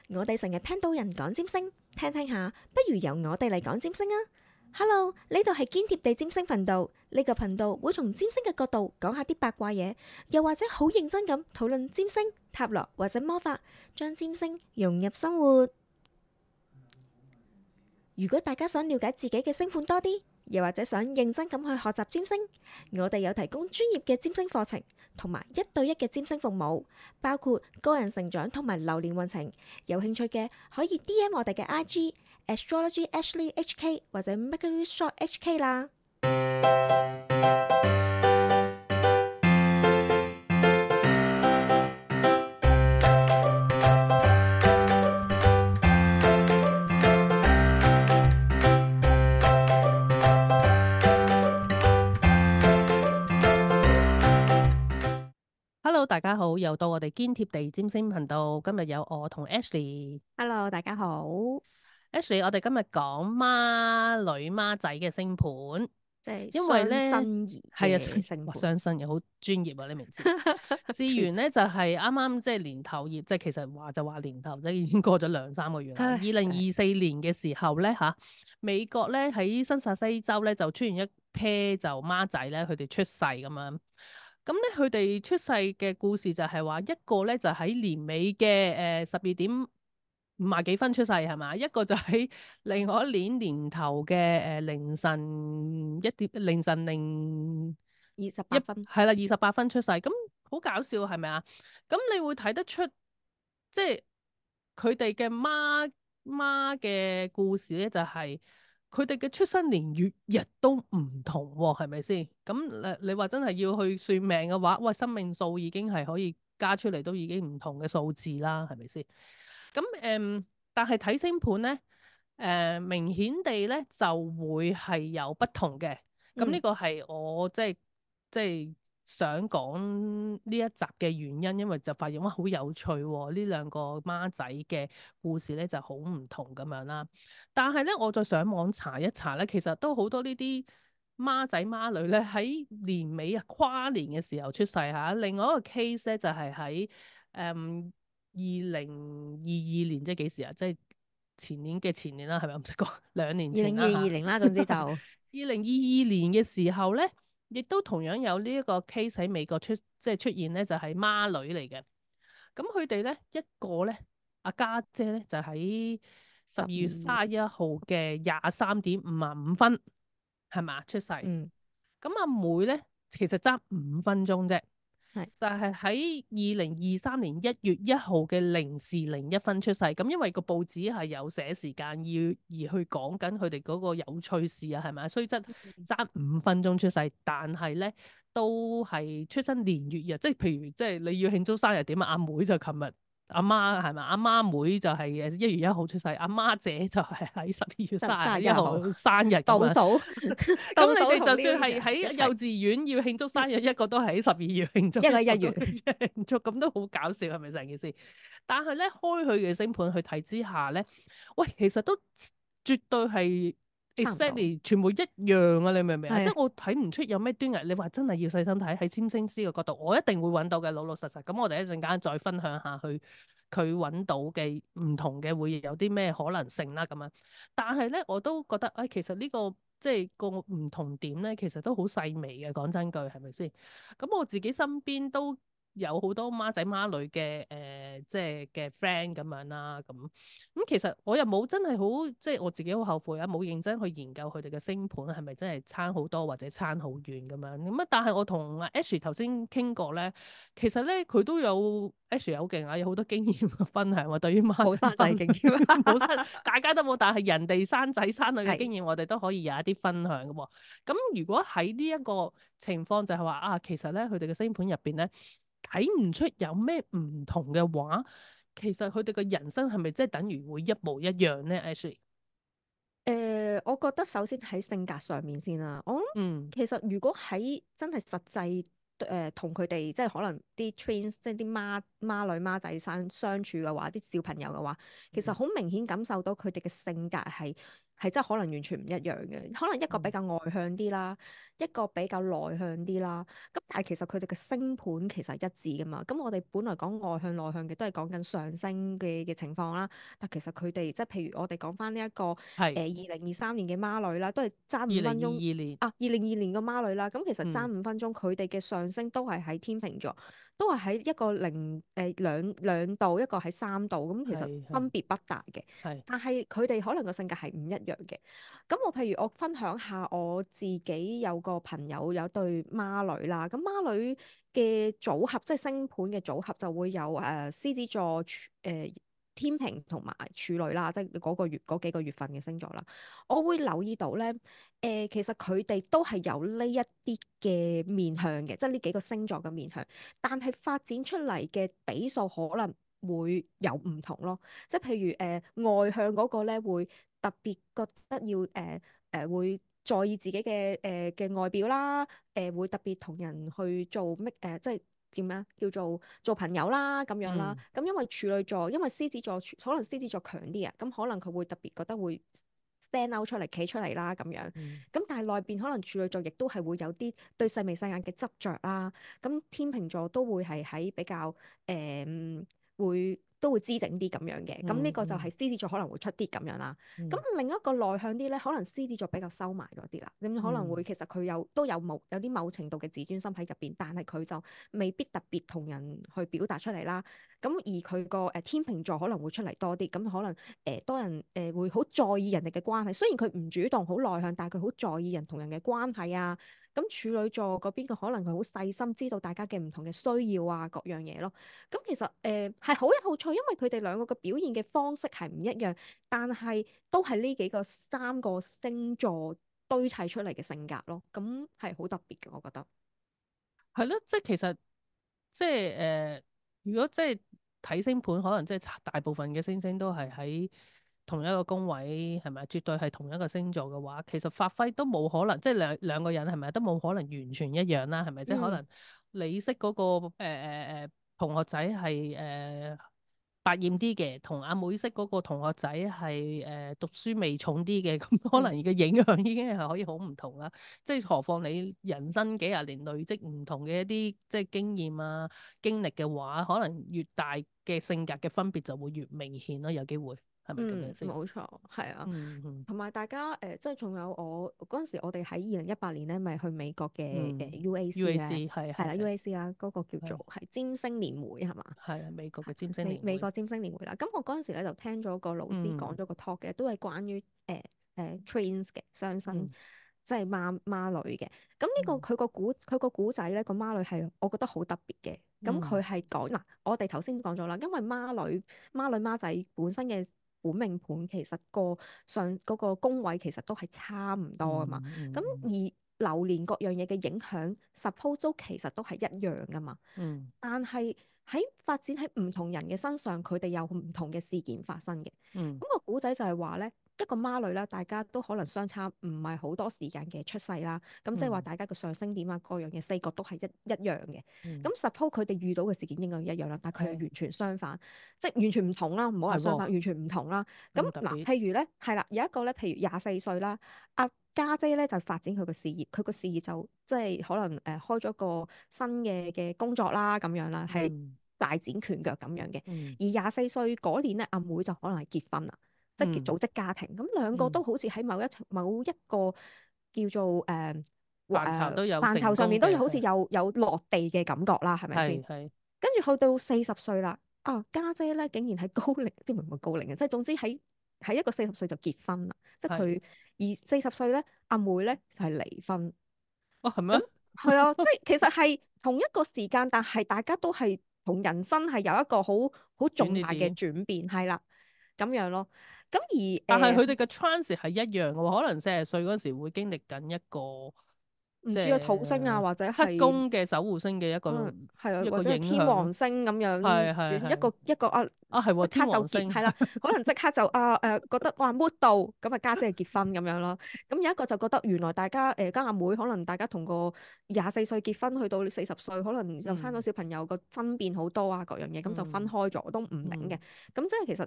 我哋成日聽到人講占星，聽聽下，不如由我哋嚟講占星啊！Hello，呢度係堅貼地占星頻道，呢個頻道會從占星嘅角度講下啲八卦嘢，又或者好認真咁討論占星、塔羅或者魔法，將占星融入生活。如果大家想了解自己嘅星盤多啲，又或者想認真咁去學習占星，我哋有提供專業嘅占星課程，同埋1對1嘅占星服務，包括個人成長同埋流年運程。有興趣嘅可以 DM 我哋嘅 IG Astrology Ashley HK 或者 Mercury Shop HK 啦。Hello，大家好，又到我哋堅貼地占星頻道。今日有我同 Ashley。Hello，大家好。Ashley，我哋今日講孖女孖仔嘅星盤，即係因為咧雙生兒係嘅星盤，雙生又好專業啊，你明唔知？事緣咧就係啱啱即係年頭熱，即係其實話就話年頭，即係已經過咗2-3個月啦。2024年嘅時候咧吓，美國咧喺新澤西州咧就出現一 pair 就孖仔咧，佢哋出世咁樣。咁咧，佢哋出世嘅故事就係話，一個咧就喺年尾嘅12點50幾分出世係嘛，一個就喺另外一年年頭嘅凌晨28分，係啦28分出世，咁好搞笑係咪啊？咁你會睇得出，即係佢哋嘅媽嘅故事咧，就係佢哋嘅出生年月日都唔同喎，係咪先？咁你話真係要去算命嘅話，喂，生命數已經係可以加出嚟，都已經唔同嘅數字啦，係咪先？咁但係睇星盤咧，明顯地咧就會係有不同嘅。咁呢個係我即係想講呢一集嘅原因，因為就發現哇好有趣喎，呢兩個孖仔嘅故事咧就好唔同咁樣啦。但係咧，我再上網查一查咧，其實都好多呢啲孖仔孖女咧喺年尾啊跨年嘅時候出世嚇。另外一個 case 咧就係喺2022年，即係幾時啊？即係前年嘅前年啦，係咪？我唔識講2年前啦嚇。2020啦，總之就2022年嘅時候咧，亦都同樣有呢一個 case 喺美國出現咧，就係孖女嚟嘅。咁佢哋咧一個咧，阿家姐咧就喺12月31號嘅23點55分，係嘛出世。咁阿妹咧其實爭5分鐘啫。但係喺2023年1月1號嘅0時01分出世，咁因為個報紙係有寫時間而去講緊佢哋嗰個有趣事啊，係咪？雖則爭5分鐘出世，但係咧都係出生年月日，即係譬如即係你要慶祝生日點啊？阿妹就琴日，阿媽係咪？阿媽妹就係1月1號出世，阿媽姐就係喺12月31號生日倒數。咁你哋就算係喺幼稚園要慶祝生日，一個都係喺12月慶祝，一個1月慶祝，咁都好搞笑，係咪成件事？但係咧開佢嘅星盤去睇之下咧，喂，其實都絕對係 exactly 全部一樣啊！你明唔明啊？即係我睇唔出有咩端倪。你話真係要細心睇喺占星師嘅角度，我一定會揾到嘅，老老實實。咁我哋一陣間再分享下佢揾到嘅唔同嘅會有啲咩可能性啦咁樣。但係咧，我都覺得其實呢個即係個唔同點咧，其實都好細微嘅。講真句，係咪先？咁我自己身邊都有好多孖仔孖女嘅即係嘅 friend 咁樣啦。咁其實我又冇真係好，即係我自己好後悔啊，冇認真去研究佢哋嘅星盤係咪真係差好多或者差好遠咁樣。咁啊，但係我同阿 Ash 頭先傾過咧，其實咧佢都有 Ash 好勁啊，有好多經驗分享喎。對於孖冇生仔經驗，冇生，大家都冇，但係人哋生仔生女嘅經驗，我哋都可以有一啲分享嘅喎。咁如果喺呢一個情況就係話其實咧佢哋嘅星盤入邊咧睇唔出有咩唔同嘅話，其實佢哋嘅人生係咪即係等於會一模一樣咧？Ashley，我覺得首先喺性格上面先啦。我諗其實如果喺真係實際同佢哋即係可能啲 twins 即係啲孖女孖仔相處嘅話，啲小朋友嘅話，其實好明顯感受到佢哋嘅性格係真係可能完全唔一樣嘅，可能一個比較外向啲啦，一個比較內向啲啦。咁但係其實佢哋嘅星盤其實係一致噶嘛。咁我哋本來講外向內向嘅都係講緊上升嘅情況啦。但其實佢哋即係譬如我哋講翻呢一個係2023年嘅孖女啦，都係爭二零二五分鐘二年啊。2022年嘅孖女啦，咁其實爭嗯5分鐘，佢哋嘅上升都係喺天秤座。都係喺一個兩度，一個喺3度，咁其實係係分別不大嘅。係但係佢哋可能個性格係唔一樣嘅。咁我譬如我分享下我自己有個朋友有對孖女啦，咁孖女嘅組合即係星盤嘅組合就會有獅子座、天秤同埋處女啦，即係嗰幾個月份嘅星座啦。我會留意到咧，其實佢哋都係有呢一啲嘅面向嘅，即係呢幾個星座嘅面向，但係發展出嚟嘅比數可能會有唔同咯。即係譬如外向嗰個咧，會特別覺得要會在意自己嘅外表啦，會特別同人去做即係點樣叫做朋友啦咁樣啦。嗯咁因為處女座，因為獅子座可能獅子座強啲啊，咁可能佢會特別覺得會 stand out 出嚟企出嚟啦咁樣。嗯咁但係內邊可能處女座亦都係會有啲對細眉細眼嘅執着啦。咁天秤座都會係喺比較都會姿整啲咁樣嘅。咁呢個就係獅子座可能會出啲咁樣啦。咁另一個內向啲咧，可能獅子座比較收埋咗啲啦。咁可能會其實佢都有啲某程度嘅自尊心喺入邊，但係佢就未必特別同人去表達出嚟啦。咁而佢個天秤座可能會出嚟多啲，咁可能多人會好在意人哋嘅關係。雖然佢唔主動好內向，但係佢好在意人同人嘅關係啊。咁處女座嗰邊嘅可能佢好細心，知道大家嘅唔同嘅需要啊，各樣嘢咯。咁其實係好有趣，因為佢哋兩個嘅表現嘅方式係唔一樣，但係都係呢三個星座堆砌出嚟嘅性格咯。咁係好特別嘅，我覺得。係咯，即係其實即係如果即係睇星盤，可能即係大部分嘅星星都係喺同一個宮位，係咪？絕對係同一個星座嘅話，其實發揮都冇可能，即係兩個人係咪都冇可能完全一樣啦？係咪？即係可嗯能你識嗰個同學仔係百厭啲嘅，同阿妹識嗰個同學仔係讀書味重啲嘅，咁可能嘅影響已經係可以好唔同啦。即係何況你人生幾廿年累積唔同嘅一啲即係經驗啊經歷嘅話，可能越大嘅性格嘅分別就會越明顯咯，有機會係咪咁樣先？冇錯，係啊。嗯同埋大家即係仲有我嗰陣時，我哋喺2018年咧，咪去美國嘅嗯UAC 咧，，UAC 係係啦 係 UAC 啦，嗰個叫係做係占星年會係嘛？係啊，美國嘅占星年會，美國占星年會啦。咁我嗰陣時咧就聽咗個老師講嗯咗個 talk 嘅，都係關於twins 嘅雙生，嗯即係孖女嘅。咁呢個嗯佢個古仔咧，個孖女係我覺得好特別嘅。咁佢嗯係講嗱，我哋頭先講咗啦，因為孖女孖仔本身嘅本命盤其實嗰個宮位其實都係差唔多噶嘛。咁而流年各樣嘢嘅影響，suppose 都其實都係一樣噶嘛。嗯但係喺發展喺唔同人嘅身上，佢哋有唔同嘅事件發生嘅。咁嗯個古仔就係話咧，一個孖女啦，大家都可能相差唔係好多時間嘅出世啦。咁即係話大家個上升點啊，各樣嘢四角都係一樣嘅。嗯咁 suppose 佢哋遇到嘅事件應該一樣啦，但係佢係係完全相反，即係完全唔同啦。唔好話係喎，相反，完全唔同啦。咁嗱，咁特別，譬如咧，係啦，有一個咧，譬如24歲啦，阿家姐咧就發展佢個事業，佢個事業就即係可能開咗個新嘅工作啦，咁樣啦，係嗯大展拳腳咁樣嘅。嗯而24歲嗰年咧，阿妹就可能係結婚啦，即係嗯組織家庭。咁兩個嗯，都好似喺某一個叫做範疇都有範疇上成功嘅，面都好似係有落地嘅感覺啦，係咪先？係係跟住去到40歲啦，家姐咧竟然喺高齡，即係唔係高齡嘅，即係總之喺一個40歲就結婚啦，即係係，佢而40歲咧，阿妹咧就係離婚。哦係咩？咁係啊，即係其實係同一個時間，但係大家都係同人生係有一個好轉重大嘅捩點，轉變，係啦咁樣咯。咁而但係佢哋嘅 trans 係一樣嘅喎，可能40歲嗰時會經歷緊一個唔知啊土星啊，或者七係宮嘅守護星嘅可能係啊，一個或者係天影響咯。王星咁樣係轉係係一個啊，啊，係喎，即刻就天王星結係啦，可能即刻就覺得哇 mood 到咁啊家姐結婚咁樣咯。咁有一個就覺得原來大家家阿妹可能大家同個24歲結婚，去到40歲，可能就生咗小朋友個爭辯好多啊各樣嘢，咁就分開咗都唔定嘅。咁即係其實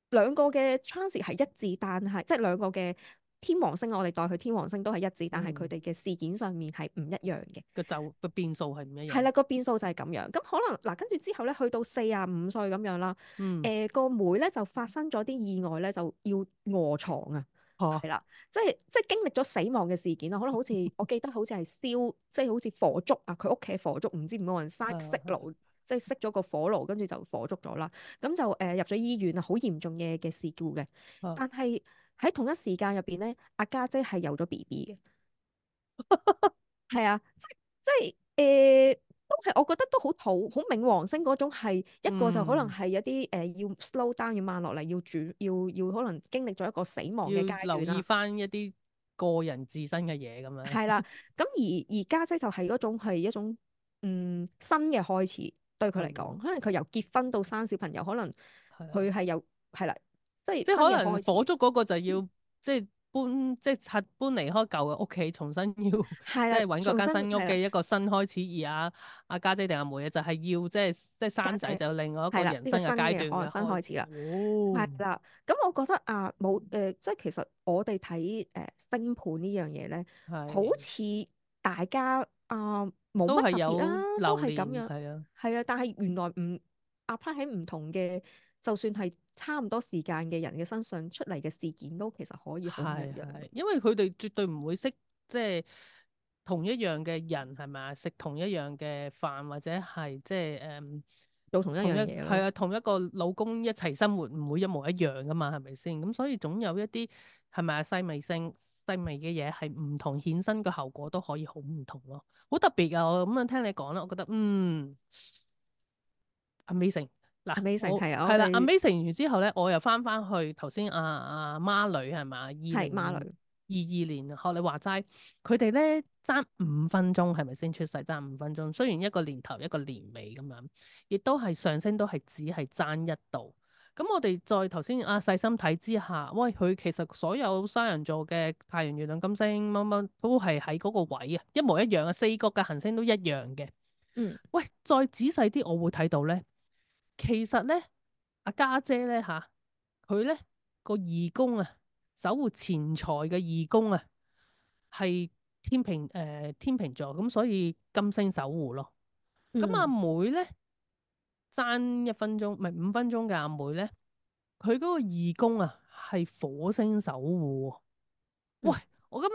兩個嘅 chance 係一致，但係即係兩個嘅天王星，我哋代佢天王星都係一致，但係佢哋嘅事件上面係唔一樣嘅。個變數係唔一樣。係啦，個變數就係咁樣。咁可能嗱，跟住之後咧，去到45歲咁樣啦。個妹咧就發生咗啲意外咧，就要臥床啊。係啦，即係經歷咗死亡嘅事件啦。可能好似我記得好似係燒，即係好似火燭啊。佢屋企火燭，唔知唔冇人熄爐，即係熄咗個火爐，跟住就火燭咗啦。咁就入咗醫院啊，好嚴重嘅事故嘅。但係喺同一時間入邊咧，阿家姐係有咗 BB 嘅。係啊，都係我覺得都好冥王星嗰種係一個就可能係有啲要 slow down 要慢落嚟，要可能經歷咗一個死亡嘅階要留意段啦。翻一啲個人自身嘅嘢咁樣。係啦，咁而家姐就係嗰種係一種新嘅開始對佢嚟講，可能佢由結婚到生小朋友，可能佢係有係啦，即係新嘅即係可能開始。火燭嗰個就要即係搬即係搬離開舊嘅屋企，重新要係啦，即係揾個重間新屋新係啦，嘅一個新開始。而阿家姐定阿妹啊，就係要即係生仔，家姐就另外一個係啦，呢個人生嘅新嘅階段嘅新開始啦。係哦，啦，咁我覺得冇即係其實我哋睇星盤呢樣嘢咧，好係似大家冇都係乜特別啦，有都流年係咁樣，係啊。係啊，但係原來唔 apply 喺唔同嘅，就算係差唔多時間嘅人嘅身上出嚟嘅事件，都其實可以好唔一樣。係，因為佢哋絕對唔會識即係同一樣嘅人係咪啊？食同一樣嘅飯或者係即係做同一樣嘢咯。係啊，同一個老公一齊生活唔會一模一樣噶嘛，係咪先？咁所以總有一啲係咪啊細微嘅嘢係唔同，衍生嘅後果都可以好唔同咯，好特別啊！我咁樣聽你講啦，我覺得Amazing 嗱，Amazing 我係啊，我係啦哋，Amazing 完之後咧，我又翻去頭先阿孖女係嘛，係孖女。2022年學你話齋，佢哋咧爭5分鐘係咪先出世爭5分鐘？雖然一個年頭一個年尾咁樣，亦都係上升都係只係爭一度。咁我哋再頭先細心睇之下，喂佢其實所有雙人座嘅太陽、月亮、金星乜乜都係喺嗰個位啊，一模一樣啊，四角嘅行星都一樣嘅。嗯喂，再仔細啲，我會睇到咧。其實咧，阿家姐咧吓，佢咧個二宮啊，守護錢財嘅二宮啊，係天秤座，咁所以金星守護咯。咁阿嗯妹咧爭1分鐘，唔係5分鐘嘅阿妹咧，佢嗰個二宮啊係火星守護喎。喂，嗯我咁樣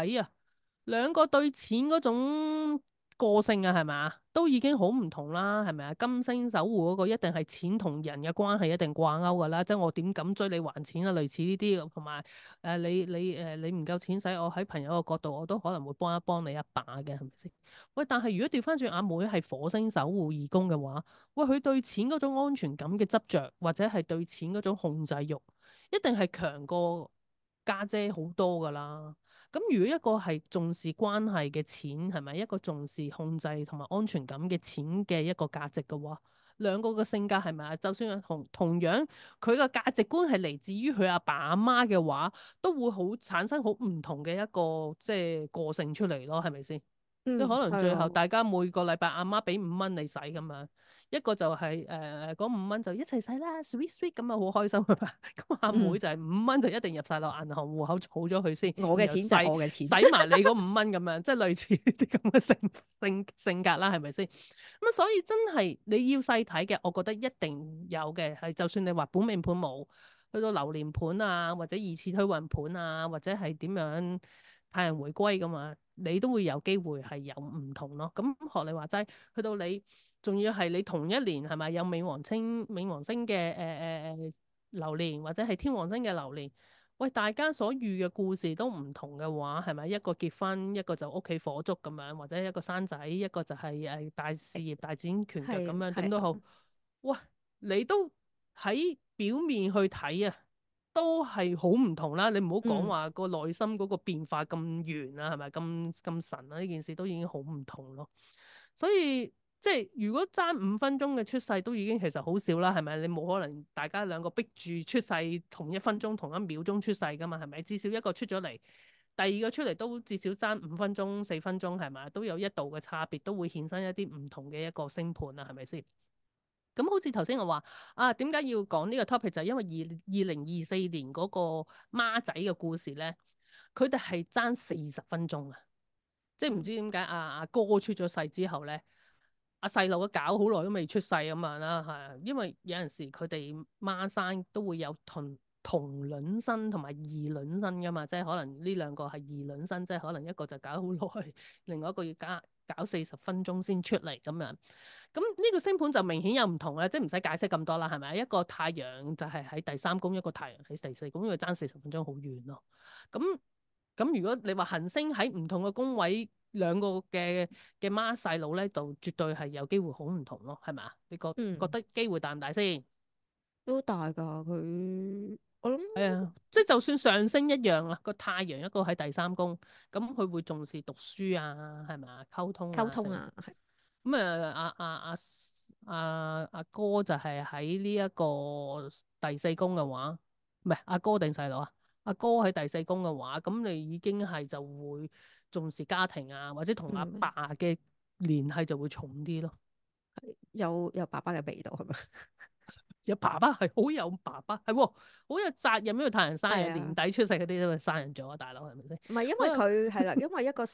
一睇啊，兩個對錢嗰種個性啊，係咪啊？都已經好唔同啦，係咪啊？金星守護嗰個一定係錢同人嘅關係一定掛鈎噶啦，即係我點敢追你還錢啊？類似呢啲，同埋你唔夠錢使，我喺朋友嘅角度，我都可能會幫一幫你一把嘅，係咪先？喂，但係如果調翻轉阿妹係火星守護二宮嘅話，喂，佢對錢嗰種安全感嘅執着，或者係對錢嗰種控制欲，一定係強過家姐好多噶啦。咁如果一個係重視關係嘅錢，係咪一個重視控制同埋安全感嘅錢嘅一個價值嘅話，兩個嘅性格係咪啊？就算係同樣佢個價值觀係嚟自於佢阿爸阿媽嘅話，都會好產生好唔同嘅一個即係個性出嚟咯，係咪先？即係可能最後係啊。大家每個禮拜阿媽俾5蚊你使咁樣，一個就係嗰5蚊就一齊使啦，sweet sweet 咁啊好開心啊嘛。咁阿妹就係5蚊就一定入晒落銀行戶口儲咗佢先，然後我嘅錢就係我嘅錢。使埋你嗰5蚊咁樣，即係類似呢啲咁嘅性格啦，係咪先？咁所以真係你要細睇嘅，我覺得一定有嘅係，就算你話本命盤冇，去到流年盤啊，或者二次推運盤啊，或者係點樣太陽回歸咁啊，你都會有機會係有唔同咯。咁學你話齋，去到你仲要係你同一年係咪有冥王星嘅流年，或者係天王星嘅流年？喂，大家所遇嘅故事都唔同嘅話，係咪一個結婚，一個就屋企火燭咁樣，或者一個生仔，一個就係大事業大展拳腳咁樣，點都好。係啊。喂，你都喺表面去睇啊，都係好唔同啦。你唔好講嗯話個內心嗰個變化咁圓啊，係咪咁神啊？呢件事都已經好唔同咯。所以即係如果爭5分鐘嘅出世都已經其實好少啦，係咪？你冇可能大家兩個逼住出世同一分鐘同一秒鐘出世噶嘛，係咪？至少一個出咗嚟，第二個出嚟都至少爭5分鐘4分鐘，係咪？都有一度嘅差別，都會衍生一啲唔同嘅一個星盤啊，係咪先？咁好似頭先我話啊，點解要講呢個 topic 就係因為2024年嗰個孖仔嘅故事咧，佢哋係爭40分鐘啊！即係唔知點解阿哥出咗世之後咧，阿細路都搞好耐都未出世咁樣啦，係因為有陣時佢哋孖生都會有同卵生同埋異卵生噶嘛，即係可能呢兩個係異卵生，即係可能一個就搞好耐，另外一個要搞40分鐘先出嚟咁樣。咁呢個星盤就明顯有唔同咧，即係唔使解釋咁多啦，係咪？一個太陽就係喺第三宮，一個太陽喺第四宮，因為爭40分鐘好遠咯。咁如果你話行星喺唔同嘅宮位，兩個嘅孖細佬咧，就絕對係有機會好唔同咯，係咪啊？你覺嗯，得機會大唔大先？都大噶佢，我諗係啊，即係就算上升一樣啦，個太陽一個喺第三宮，咁佢會重視讀書啊，係咪啊？溝通啊，成。溝通啊，係咁阿哥就係喺呢一個第四宮嘅話，唔係阿哥定細佬啊？阿哥喺第四宮嘅話，咁你已經係就會重視家庭啊，或者同阿嗯爸嘅聯繫就會重啲咯。有爸爸嘅味道係咪？有爸爸係好有爸爸，係喎，好有責任，因為太陽生日係啊。年底出世嗰啲都係生人咗啊，大佬係咪先？唔係因為好有佢係啦，因為一個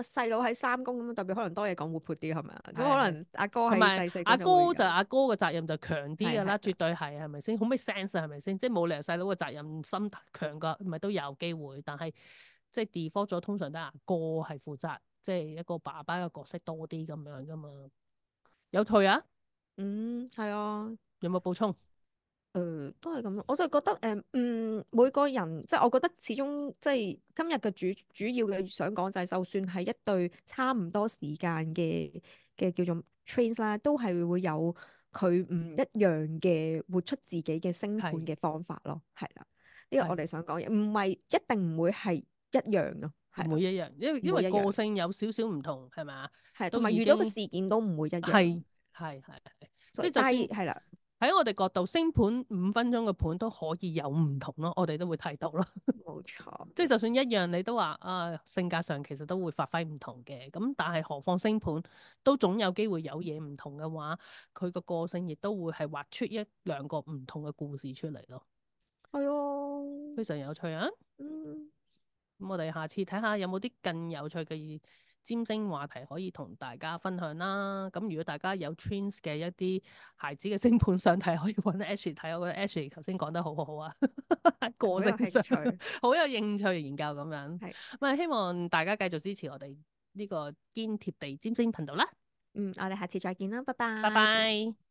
細佬喺三宮咁，代表可能多嘢講，活潑啲係咪啊？咁可係係。能阿哥同埋喺第四宮阿就會有，哥就阿哥嘅責任就強啲㗎啦，係係絕對係係咪先？好 make sense 啊，係咪先？即係冇理由細佬嘅責任心強過，唔係都有機會，但係即係 default 咗，通常都係阿哥係負責，即係一個爸爸嘅角色多啲咁樣㗎嘛。有退啊？係啊。有冇補充？都係咁咯，我就覺得每個人即係我覺得始終即係今日嘅主要嘅想講就係，就算係一對差唔多時間嘅叫做 twins 啦，都係會有佢唔一樣嘅活出自己嘅星盤係嘅方法咯，係啦，呢個我係哋想講嘅，唔係一定唔會係一樣咯，係啦，唔會一樣，因為唔會一樣，個性有少少唔同，係咪啊？係同埋遇到嘅都已經事件都唔會一樣，係係，即係就但算係係啦，喺我哋角度，星盤5分鐘嘅盤都可以有唔同咯，我哋都會睇到咯。冇錯，即係就算一樣，你都話啊，性格上其實都會發揮唔同嘅。咁但係何況星盤都總有機會有嘢唔同嘅話，佢個個性亦都會係畫出一兩個唔同嘅故事出嚟咯。係啊，非常有趣啊！嗯。咁我哋下次睇下有冇啲更有趣嘅占星話題可以同大家分享啦。咁如果大家有 Twins 嘅一啲孩子嘅星盤想睇，可以揾 Ashley 睇。我覺得 Ashley 頭先講得好好啊，個好有性上興趣，好有興趣研究咁樣。係，咁啊，希望大家繼續支持我哋呢個堅貼地占星頻道啦。我哋下次再見啦，拜拜拜。拜。